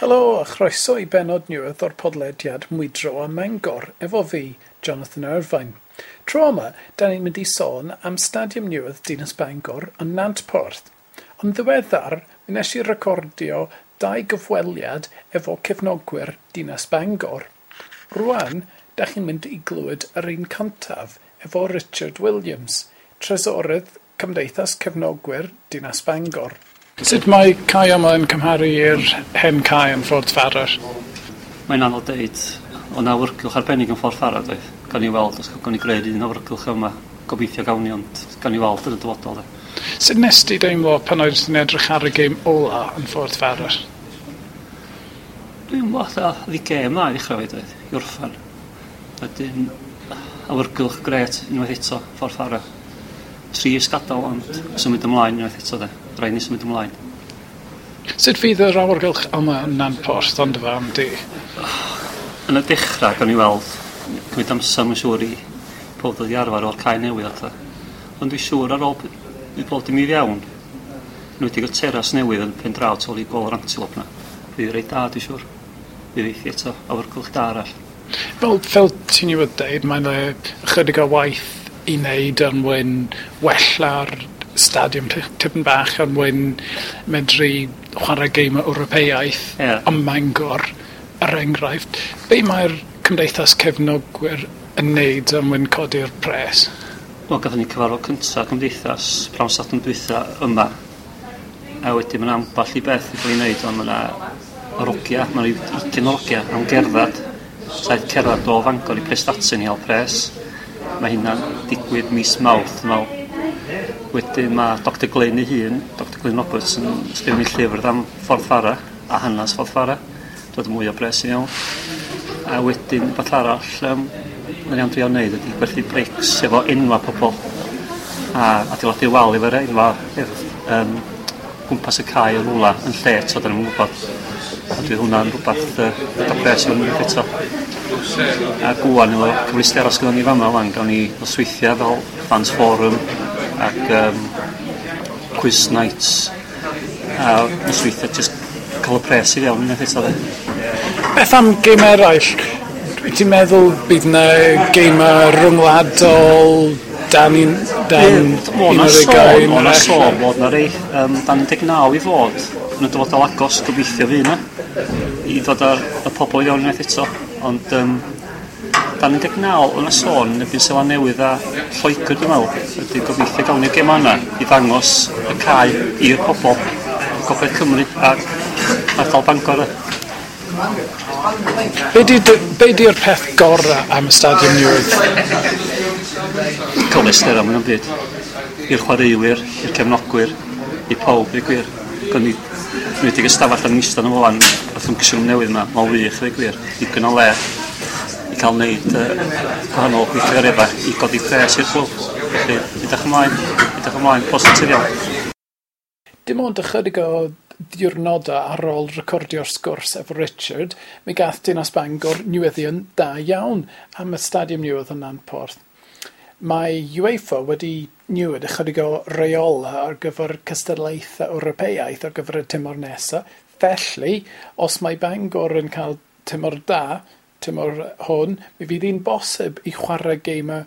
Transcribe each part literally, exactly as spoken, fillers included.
Helo a chroeso i bennod newydd o'r podlediad Mwydro a Mangor efo fi, Jonathan Irvine. Tro yma, da ni'n mynd i sôn am Stadiwm Newydd Dinas Bangor yn Nantporth. Ond ddiweddar, mi nes i recordio dau gyfweliad efo cefnogwyr Dinas Bangor. Rwan, da chi'n mynd i glywed yr un cyntaf efo Richard Williams, Trysorydd Cymdeithas Cefnogwyr Dinas Bangor. Sut mae cae yma yn cymharu i'r hen cae yn Ffordd Farrar? Mae'n anodd deud. O na awyrgylch arbennig yn Ffordd Farrar, doedd. Gawn ni weld os gawn ni greu'r un awyrgylch yma. Gobeithio gawn ni, ond gawn ni weld yn y dyfodol. De. Sut nes ti deimlo pan oeddet ti'n edrych ar y gêm ola yn Ffordd Farrar? Dwi'n meddwl oedd hi gêm dda i ddechrau fi, doedd, i orffan. Wedyn, awyrgylch grêt unwaith eto, Ffordd Farrar. Trist gadael, ond symud ymlaen unwaith eto, de. Rhaid ni symud ymlaen. Sut fydd yr awyrgylch yma yn Nantporth ond dy farn di? Yn y dechrau, gawn ni weld, cymryd amser mae'n siŵr i pob dod i arfer o'r cae newydd a pethau. Ond dwi'n siŵr ar ôl i pob dim i fewn, yn wedi o teras newydd yn pen draw tu ôl i gôl yr Antelope na. Fydd reit da, dwi'n siŵr. Fydd eithi eto, awyrgylch da arall. Fel, fel ti'n i wedi dweud, mae'n ychydig o waith i wneud er mwyn wella'r stadiwm tipyn bach er mwyn medru chwarae gêm Ewropeaidd yeah. ym Mangor, er enghraifft. Be mae'r Cymdeithas Cefnogwyr yn wneud er mwyn codi'r pres? Wel, gathon ni cyfarfod cyntaf Cymdeithas prawn Sadwrn dwytha yma. A wedyn mae'n ambell i beth i cael ei wneud, ond mae yna rogia, mae yna ugain o rogia am gerdded. Taith cerdded o Fangor i Prestatyn i hel pres. Mae hynna'n digwydd mis Mawrth, dwi'n meddwl. Wedyn mae Doctor Glyn ei hun, Doctor Glyn Roberts, yn sgrifennu llyfr am Ffordd Farrar a hanes Ffordd Farrar. Dod mwy o bres i mewn. A wedyn, beth arall, um, mae'n iawn drio wneud ydy gwerthu brics efo enwa pobl a adeiladu wal efo'r enwa efo, um, gwmpas y cae yn rwla yn lle eto, da ni'n gwybod. A dwi hwnna'n rhywbeth uh, dod o pres i fyny eto. A gwan efo cyfleusterau sydd ni fama wan, gawn ni nosweithiau fel Fans Forum ac um, quiz nights a nosweithiau just cael y pres i fewn unwaith eto. De. Beth am gêm eraill? Wyt ti'n meddwl bydd yna gêmau rhyngwladol dan un, dan O, un na o'r sôn, ugain? o na sôn bod na rei um, dan un deg naw i fod yn y dyfodol agos, gobeithio fydd yna i ddod ar y pobl i fewn unwaith eto, ond um, dan un deg naw o na sôn yn erbyn Seland Newydd a Lloegr dwi'n meddwl, ydy gobeithio gawn ni'r gêm yna i ddangos y cae i'r pobl Gogledd Cymru a ardal Bangor. Be di, be di'r peth gorau am y stadiwm newydd? Cyfleusterau mwy na'm byd. I'r chwaraewyr, i'r cefnogwyr, i pawb, i gwir. Gawn ni wedi ystafell yn eistedd yn ôl wrth ymgysylltu newydd yma, mae'n wych, i gwir. Digon o le i cael wneud uh, gwahanol gweithgareddau i godi pres i'r clwb. Felly, edrych ymlaen, edrych ymlaen, positif iawn. Dim ond ychydig o ddiwrnodau ar ôl recordio'r sgwrs efo Richard, mi gath Dinas Bangor newyddion da iawn am y stadiwm newydd yn Nantporth. Mae UEFA wedi newid ychydig o reola ar gyfer cystadlaethau Ewropeaidd ar gyfer y tymor nesaf. Felly, os mae Bangor yn cael tymor da, tymor hwn, mi fydd hi'n bosib i chwarae gêmau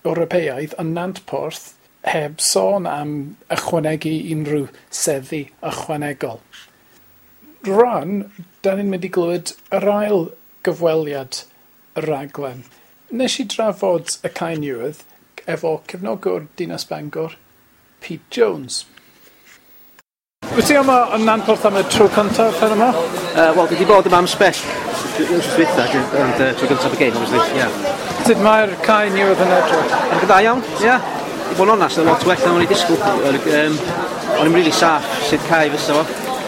Ewropeaidd yn Nantporth heb sôn am ychwanegu unrhyw seddi ychwanegol. Rwan, da ni'n mynd i glywed yr ail gyfweliad y raglen. Nes i drafod y cae newydd efo cefnogwr Dinas Bangor, Pete Jones. Wyt ti yma yn Nantporth am y tro cyntaf pen yma? Uh, Wel, dwi wedi bod yma am sbell wythnos dwytha, ond uh, tro gyntaf y game, obviously, yeah. Sut mae'r cae newydd yn edrych? Yn dda iawn, ie. Yeah. I bod yn onast, yn lot well na o'n i disgwyl. Um, o'n i'n really saff sut cae fysa fo,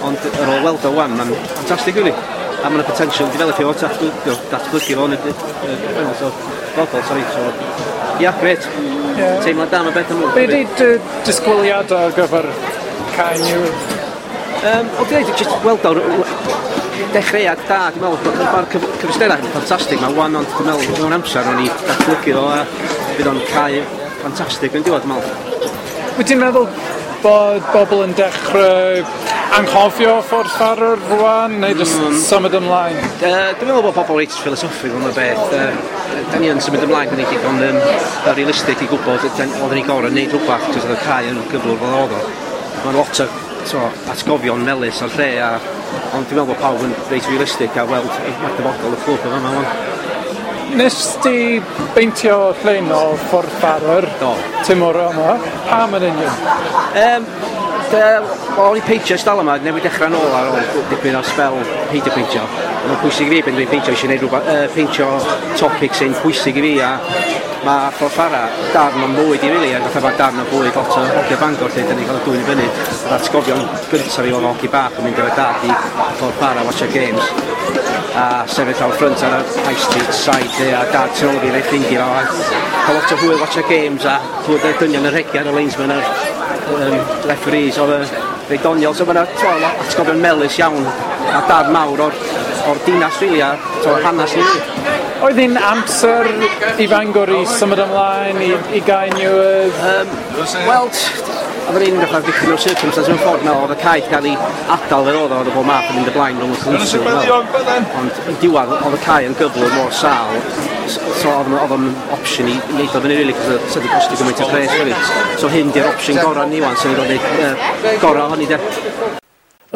ond ar ôl weld o wan, mae'n ffantastig, really. A mae'n potential developio fo, datblygu fo yn y final, so, dyfodol, sorry. So, ia, yeah, grêt. Yeah. Teimlad da am y beth am Be di dy disgwyliadau ar gyfer cae newydd? Um, o, dweud, just weld o'r dechreuad da, dwi'n meddwl, mae'r cyfleusterau yn ffantastig, mae wan, ond dwi'n meddwl, mewn amser, o'n i datblygu fo, a bydd o'n cae ffantastig yn diwedd, dwi'n meddwl. Wyt ti'n meddwl bod bobl yn dechrau anghofio Ffordd Ffarwr rwan, neu jyst mm. symud ymlaen? Uh, dwi'n meddwl bod pobl reit philosophical yn y beth. Uh, da ni yn symud ymlaen, da ni digon um, realistig i gwybod oedden ni gorau wneud rhywbeth, cos oedd y cae yn gyflwr fel oedd o. Mae'n lot o so, atgofion melys o'r lle, a, ond dwi'n meddwl bod pawb yn reit realistig a weld mae'r dyfodol y clwb yma yma. Nes ti beintio llun o Ffordd Ffarwr tymor yma? Pam yn union? Um, O'n i peintio ers talwm yma, newydd dechrau nôl ar ôl dipyn o sbel peidio peintio. Mae'n pwysig i fi pan dwi'n peintio, eisiau gwneud rhywbeth, uh, peintio topic sy'n pwysig i fi, a mae Ffordd Ffarwr darn o'n bywyd i really, a fatha mae darn o bywyd lot o hogia Bangor lle, dyn ni cael y dwyn i fyny. Yr atgofion gyntaf fi oedd hogi bach yn mynd efo dad i Ffordd Ffarwr watcha games, a sefyll out front ar y High Street side lle, a dad tu ôl fi efo'i ffrindiau fo, a cael lot o hwyl watcha games a clywed y dynion yn rhegian, y linesmen a'r um, referees, oedd y reit doniol, so mae'na atgofion melys iawn a darn mawr o'r, o'r dinas really, a to, hanes ni. Oedd hi'n amser i Fangor i symud ymlaen, i, i gael newydd? Um, Wel, oedd yn un fatha victim of circumstance mewn ffordd, meddwl, oedd y cae cael ei adael fel oedd o, oedd y bob math yn mynd y blaen rhwng y council. Ond yn diwedd, oedd y cae yn gyflwr mor sâl, so oedd oedd o'n opsiwn i wneud o fyny, really, cos oedd wedi costio gymaint o pres, really. So hyn di'r opsiwn gorau ni wan, sy'n ni'n gwneud gorau ohoni, de.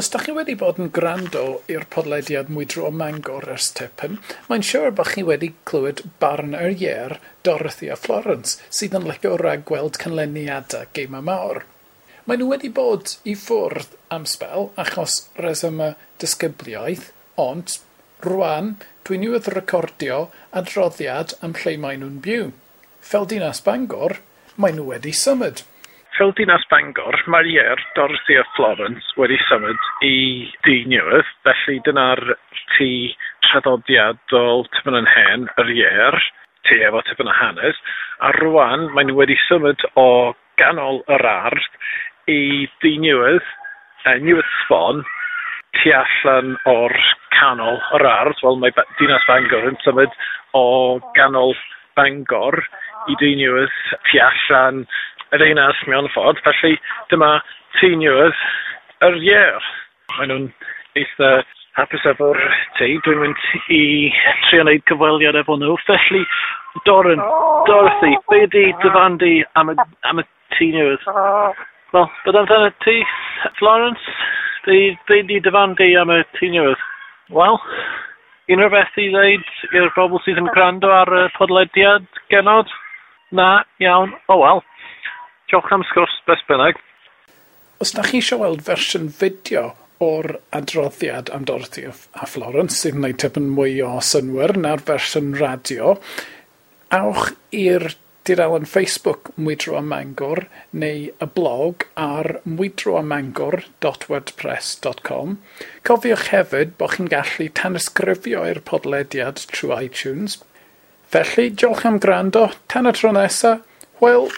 Os da chi wedi bod yn gwrando i'r podlediad Mwydro o Mangor ers tipyn, mae'n siŵr bod chi wedi clywed barn yr ieir Dorothy a Florence, sydd yn licio ragweld canlyniadau gemau mawr. Maen nhw wedi bod i ffwrdd am sbel achos resymau disgybliaeth, ond rwan dwi newydd recordio adroddiad am lle maen nhw'n byw. Fel dinas Bangor, maen nhw wedi symud. Fel dinas Bangor, mae'r ieir Dorothy a Florence wedi symud i dŷ newydd, felly dyna'r tŷ traddodiadol tipyn yn hen, yr ieir, tŷ efo tipyn o hanes, a rwan maen nhw wedi symud o ganol yr ardd i dŷ newydd, uh, newydd sbon, tu allan o'r canol yr ardd. Wel, mae dinas Bangor yn symud o ganol Bangor i dŷ newydd tu allan y ddinas mewn ffordd, felly dyma tŷ newydd yr ieir. Maen nhw'n eitha hapus efo'r tŷ. Dwi'n mynd i trio wneud cyfweliad efo nhw. Felly, Doran, Dorothy, be ydi dy farn di am y, am y tŷ newydd? Wel, beth amdano ti, Florence? Be, be ydi dy farn di am y tŷ newydd? Wel, unrhyw beth i ddweud i'r bobl sydd yn gwrando ar y podlediad, genod? Na, iawn, o oh, wel. Diolch am sgwrs, beth bynnag. Os da chi eisiau weld fersiwn fideo o'r adroddiad am Dorothy a Florence, sydd yn gwneud tipyn mwy o synnwyr na'r fersiwn radio, awch i'r tudalen Facebook Mwydro a Mangor neu y blog ar mwydroamangor dot wordpress dot com. Cofiwch hefyd bod chi'n gallu tanysgrifio i'r podlediad trwy iTunes. Felly, diolch am gwrando. Tan y tro nesa, hwyl!